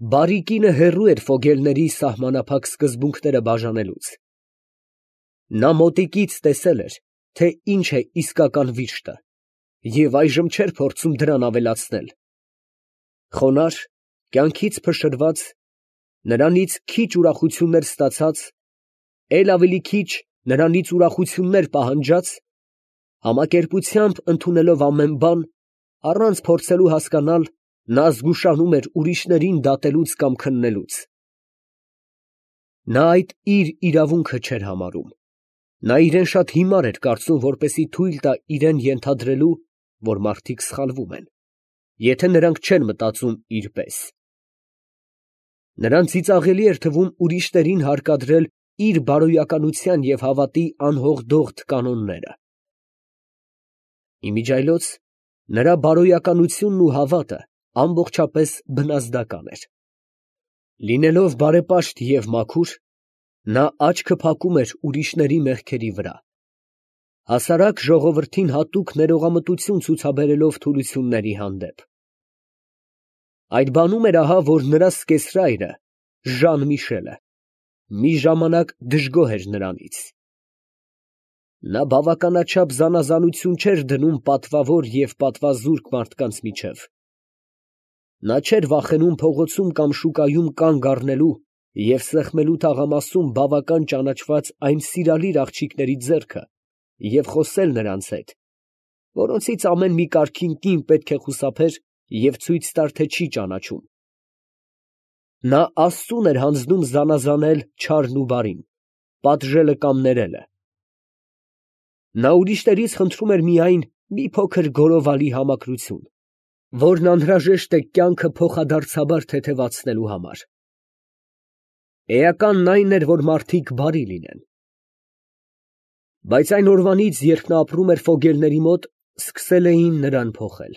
Բարի կինը հեռու էր Ֆոգելների սահմանափակ սկզբունքները բաժանելուց. նա մոտիկից տեսել էր, թե ինչ է իսկական վիշտը, և այժմ չէր փորձում դրան ավելացնել. խոնարհ, կյանքից փշրված, նրանից քիչ ուրախություններ ստացած, էլ ավելի քիչ նրանից ուրախություններ պահանջած, համակերպությամբ ընդունելով ամեն բան, առանց փորձելու հասկանալ, նա զգուշանում էր ուրիշներին դատելուց կամ քննելուց. նա այդ իր իրավունքը չէր համարում. նա իրեն շատ հիմար էր կարծում, որպեսզի թույլ տա իրան ենթադրելու, որ մարդիկ սխալվում են, եթե նրանք չեն մտածում իր պես. նրան ծիծաղելի էր թվում ուրիշներին հարկադրել իր բարոյականության և հավատի անհողդողդ կանոնները. իմիջիայլոց նրա բարոյականությունն ու հավատը ամբողջապես բնազդական էր. լինելով բարեպաշտ և մաքուր, նա աչքը փակում էր ուրիշների մեղքերի վրա, հասարակ ժողովրդին հատուկ ներողամտություն ցուցաբերելով թուլությունների հանդեպ. այդ բանում էր ահա, որ նրա սկեսրայրը Ժան Միշելը մի ժամանակ դժգոհ էր նրանից. նա բավականաչափ զանազանություն չէր դնում պատվավոր և պատվազուրկ մարդկանց միջև. նա չէր վախենում փողոցում կամ շուկայում կանգ առնելու և սեղմելու թաղամասում բավական ճանաչված այն սիրալիր աղջիկների ձեռքը և խոսել նրանց հետ, որոնցից ամեն մի կարգին կին պետք է խուսափեր և ցույց տար, թե չի ճանաչում. նա աստծուն էր հանձնում զանազանել չարն ու բարին, պատժելը կամ ներելը. նա ուրիշներից խնդրում էր միայն մի փոքր գորովալի համակրություն, որն անհրաժեշտ է կյանքը փոխադարձաբար թեթևացնելու համար. էականն այն էր, որ մարդիկ բարի լինեն. բայց այն օրվանից, երբ նա ապրում էր Ֆոգելների մոտ, սկսել էին նրան փոխել.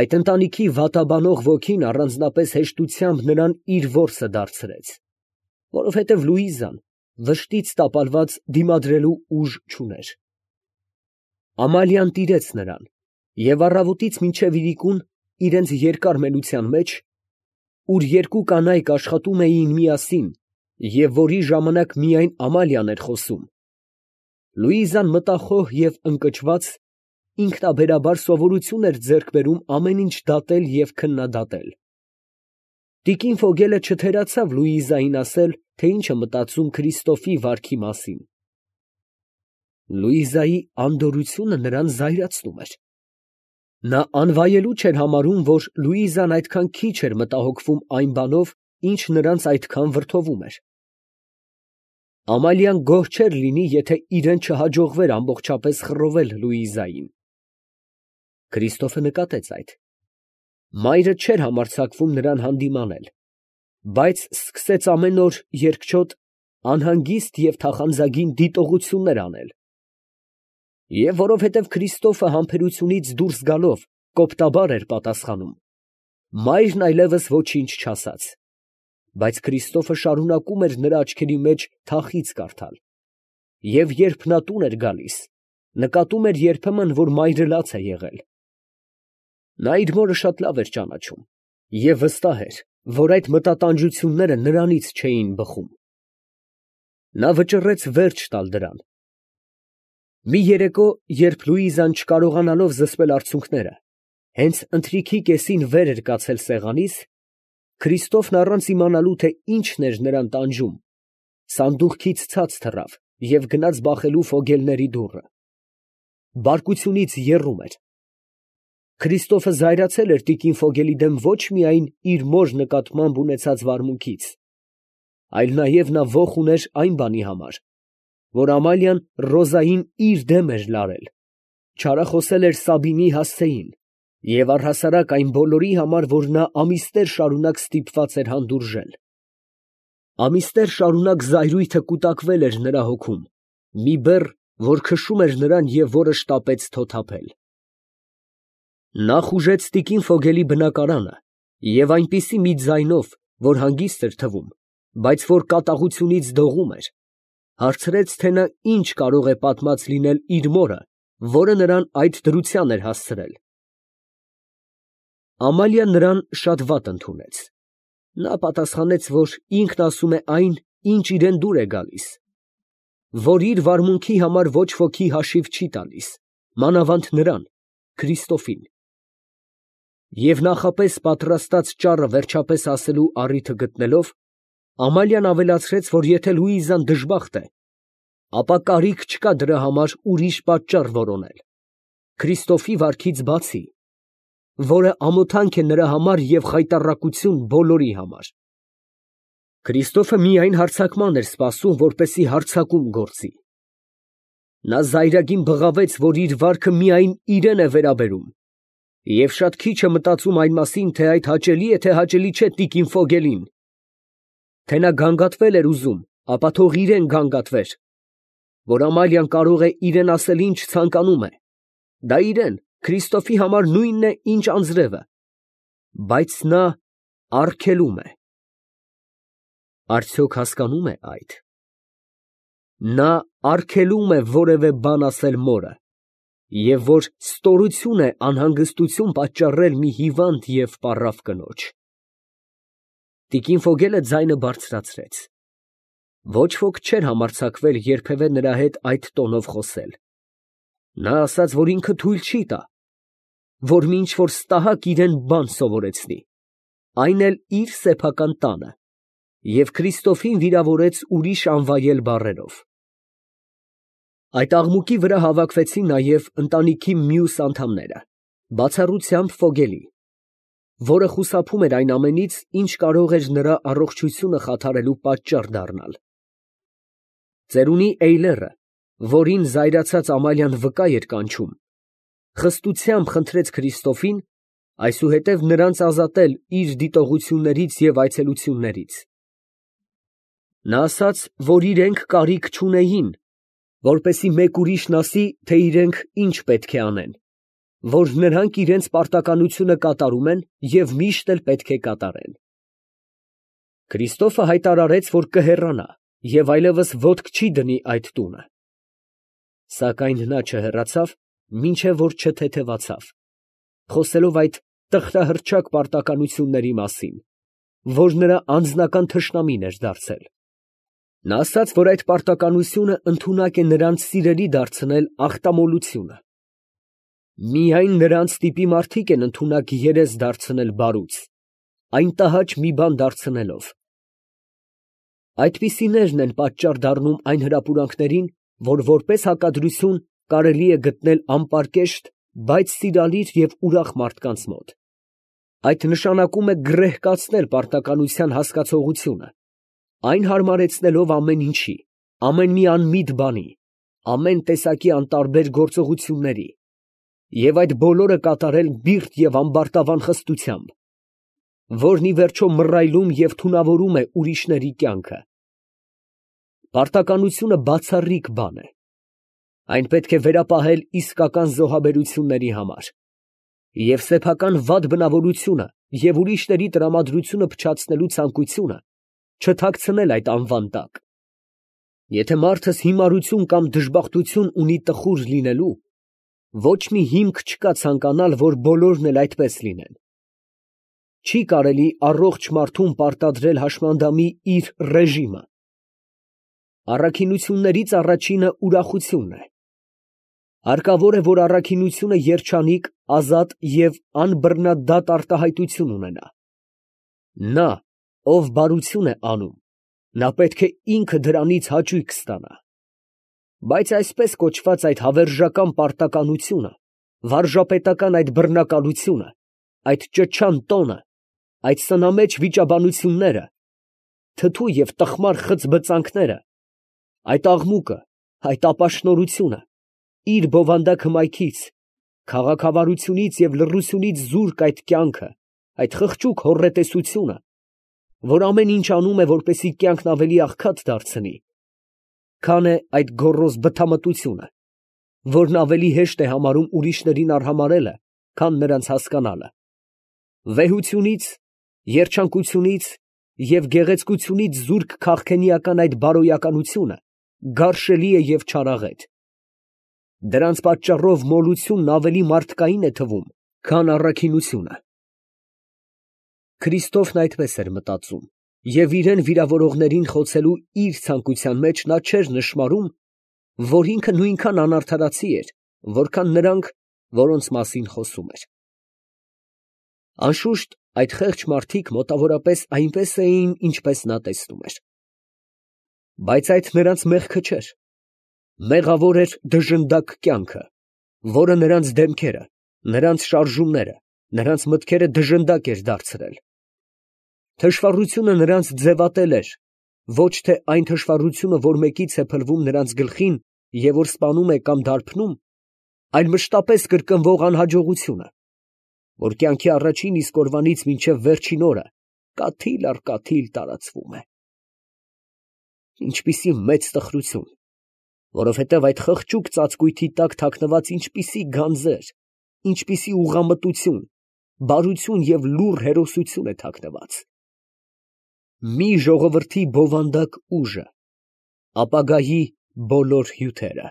այդ ընտանիքի վատաբանող ոգին առանձնապես հեշտությամբ նրան իր որսը դարձրեց, որովհետև Լուիզան վշտից տապալված դիմադրելու ուժ չուներ. Ամալիան տիրեց նրան, և առավոտից մինչև իրիկուն իրենց երկար մենության մեջ, ուր երկու կանայք աշխատում էին միասին և որի ժամանակ միայն Ամալիան էր խոսում, Լուիզան մտախոհ և ընկճված, ինքնաբերաբար սովորություն էր ձեռք բերում ամեն ինչ դատել և քննադատել. տիկին Ֆոգելը չթերացավ Լուիզային ասել, թե ինչ է մտածում Քրիստոֆի վարքի մասին. Լուիզայի անդորրությունը նրան զայրացնում էր. նա անվայելու չէր համարում, որ Լուիզան այդքան քիչ էր մտահոգվում այն բանով, ինչ նրանց այդքան վրդովում էր. Ամալիան գոհ չէր լինի, եթե իրան չհաջողվեր ամբողջապես խռովել Լուիզային. Քրիստոֆը նկատեց այդ. մայրը չէր համարձակվում նրան հանդիմանել, բայց սկսեց ամեն օր երկչոտ, անհանգիստ և թախանձագին դիտողություններ անել, և որովհետև Քրիստոֆը համբերությունից դուրս գալով կոպտաբար էր պատասխանում, մայրն այլևս ոչինչ չասաց, բայց Քրիստոֆը շարունակում էր նրա աչքերի մեջ թախիծ կարդալ, և երբ նա տուն էր գալիս, նկատում էր երբեմն, որ մայրը լաց է եղել. նա իր մորը շատ լավ էր ճանաչում և վստահ էր, որ այդ մտատանջությունները նրանից չէին բխում. նա վճռեց վերջ տալ դրան. մի երեկո, երբ Լուիզան չկարողանալով զսպել արցունքները, հենց ընթրիքի կեսին վեր էր կացել սեղանից, Քրիստոֆն առանց իմանալու, թե ինչն էր նրան տանջում, սանդուղքից ցած թռավ և գնաց բախելու Ֆոգելների դուռը. բարկությունից եռում էր. Քրիստոֆը զայրացել էր տիկին Ֆոգելի դեմ ոչ միայն իր մոր նկատմամբ ունեցած վարմունքից, այլ նաև նա ոխ ուներ այն բանի համար, որ Ամալիան Ռոզային իր դեմ էր լարել, չարախոսել էր Սաբինի հասցեին և առհասարակ այն բոլորի համար, որ նա ամիսներ շարունակ ստիպված էր հանդուրժել. ամիսներ շարունակ զայրույթը կուտակվել էր նրա հոգում, մի բեռ, որ քշում էր նրան և որը շտապեց թոթափել. նա խուժեց տիկին Ֆոգելի բնակարանը և այնպիսի մի ձայնով, որ հանգիստ էր թվում, բայց որ կատաղությունից դողում էր, հարցրեց, թե նա ինչ կարող է պատմած լինել իր մորը, որը նրան այդ դրության էր հասցրել. Ամալիան նրան շատ վատ ընդունեց, Նա պատասխանեց, որ ինքն ասում է այն, ինչ իրան դուր է գալիս, որ իր վարմունքի համար ոչ ոքի հաշիվ չի տալիս, մանավանդ նրան, Քրիստոֆին։ Եվ նախապես պատրաստած ճառը վերջապես ասելու առիթը գտնելով, Ամալիան ավելացրեց, որ եթե Լուիզան դժբախտ է, ապա կարիք չկա դրա համար ուրիշ պատճառ որոնել, Քրիստոֆի վարքից բացի, որը ամոթանք է նրա համար և խայտառակություն բոլորի համար։ Քրիստոֆը միայն հարձակման էր սպասում, որպեսզի հարձակում գործի։ Նա զայրագին բղավեց, որ իր վարքը միայն իրան է վերաբերում, և շատ քիչ է մտածում այն մասին, թե այդ հաճելի է, թե հաճելի չէ տիկին Ֆոգելին։ Թե նա գանգատվել էր ուզում, ապա թող իրան գանգատվեր, որ Ամալիան կարող է իրան ասել ինչ ցանկանում է, դա իրան, Քրիստոֆի համար նույնն է, ինչ անձրևը, բայց նա արգելում է։ Արդյոք հասկանում է այդ։ Նա արգելում է որևէ բան ասել մորը, և որ ստորություն է անհանգստություն պատճառել մի հիվանդ և պառավ կնոջ։ Տիկին Ֆոգելը ձայնը բարձրացրեց։ Ոչ ոք չէր համարձակվել երբևէ նրա հետ այդ տոնով խոսել։ Նա ասաց, որ ինքը թույլ չի տա, որ մի ինչ֊որ ստահակ իրան բան սովորեցնի, այն էլ իր սեփական տանը, և Քրիստոֆին վիրավորեց ուրիշ անվայել բառերով։ Այդ աղմուկի վրա հավաքվեցին նաև ընտանիքի մյուս անդամները, բացառությամբ Ֆոգելի, որը խուսափում էր այն ամենից, ինչ կարող էր նրա առողջությունը խաթարելու պատճառ դառնալ։ Ծերունի Էյլերը, որին զայրացած Ամալիան վկա էր կանչում, խստությամբ խնդրեց Քրիստոֆին այսուհետև նրանց ազատել իր դիտողություններից և այցելություններից։ Նա ասաց, որ իրենք կարիք չունեին, որպեսզի մեկ ուրիշն ասի, թե իրենք ինչ պետք է անեն, որ նրանք իրենց պարտականությունը կատարում են և միշտ էլ պետք է կատարեն։ Քրիստոֆը հայտարարեց, որ կհեռանա և այլևս ոտք չի դնի այդ տունը։ Սակայն նա չհեռացավ, մինչև որ չթեթևացավ, խոսելով այդ տխրահռչակ պարտականությունների մասին, որ նրա անձնական թշնամին էր դարձել։ Նա ասաց, որ այդ պարտականությունը ընդունակ է նրանց սիրելի դարձնել ախտամոլությունը։ Միայն նրանց տիպի մարդիկ են ընդունակ երես դարձնել բարուց, այն տհաճ մի բան դարձնելով։ Այդպիսիներն են պատճառ դառնում այն հրապուրանքներին, որ որպես հակադրություն կարելի է գտնել անպարկեշտ, բայց սիրալիր և ուրախ մարդկանց մոտ։ Այդ նշանակում է գռեհկացնել պարտականության հասկացողությունը, այն հարմարեցնելով ամեն ինչի, ամեն մի անմիտ բանի, ամեն տեսակի անտարբեր գործողությունների, և այդ բոլորը կատարել բիրտ և ամբարտավան խստությամբ, որն ի վերջո մռայլում և թունավորում է ուրիշների կյանքը։ Պարտականությունը բացառիկ բան է։ Այն պետք է վերապահել իսկական զոհաբերությունների համար, և սեփական վատ բնավորությունը և ուրիշների տրամադրությունը փչացնելու ցանկությունը չթաքցնել այդ անվան տակ։ Եթե մարդս հիմարություն կամ դժբախտություն ունի տխուր լինելու, ոչ մի հիմք չկա ցանկանալ, որ բոլորն էլ այդպես լինեն։ Չի կարելի առողջ մարդուն պարտադրել հաշմանդամի իր ռեժիմը։ Առաքինություններից առաջինը ուրախությունն է։ Հարկավոր է, որ առաքինությունը երջանիկ, ազատ և անբռնադատ արտահայտություն ունենա։ Նա, ով բարություն է անում, նա պետք է ինքը դրանից հաճույք ստանա։ Բայց այսպես կոչված այդ հավերժական պարտականությունը, վարժապետական այդ բռնակալությունը, այդ ճչան տոնը, այդ սնամեջ վիճաբանությունները, թթու և տխմար խցբծանքները, այդ աղմուկը, այդ ապաշնորհությունը, իր բովանդակ հմայքից, քաղաքավարությունից և լռությունից զուրկ այդ կյանքը, այդ խղճուկ հոռետեսությունը, որ ամեն ինչ անում է, որպեսզի կյանքն ավելի աղքատ դարձնի, քան է այդ գոռոզ բթամտությունը, որն ավելի հեշտ է համարում ուրիշներին արհամարհելը, քան նրանց հասկանալը։ Վեհությունից, երջանկությունից և գեղեցկությունից զուրկ քաղքենիական այդ բարոյականությունը գարշելի է և չարաղետ։ Դրանց պատճառով մոլությունն ավելի մարդկային է թվում, քան առաքինությունը։ Քրիստոֆն այդպես էր մտածում, և իրան վիրավորողներին խոցելու իր ցանկության մեջ նա չէր նշմարում, որ ինքը նույնքան անարդարացի էր, որքան նրանք, որոնց մասին խոսում էր։ Անշուշտ, այդ խեղճ մարդիկ մոտավորապես այնպես էին, ինչպես նա տեսնում էր։ Բայց այդ նրանց մեղքը չէր. մեղավոր էր դժնդակ կյանքը, որը նրանց դեմքերը, նրանց շարժումները, նրանց մտքերը դժնդակ էր դարձրել։ Թշվառությունը նրանց ձևատել էր, ոչ թե այն թշվառությունը, որ մեկից է փլվում նրանց գլխին և որ սպանում է կամ դարբնում, այլ մշտապես կրկնվող անհաջողությունը, որ կյանքի առաջին իսկ օրվանից մինչև վերջին օրը կաթիլ առ կաթիլ տարածվում է։ Ինչպիսի մեծ տխրություն, որովհետև այդ խղճուկ ծածկույթի տակ թաքնված ինչպիսի գանձեր, ինչպիսի ուղղամտություն, բարություն և լուռ հերոսություն է թաքնված։ Մի ժողովրդի բովանդակ ուժը, ապագայի բոլոր հյութերը։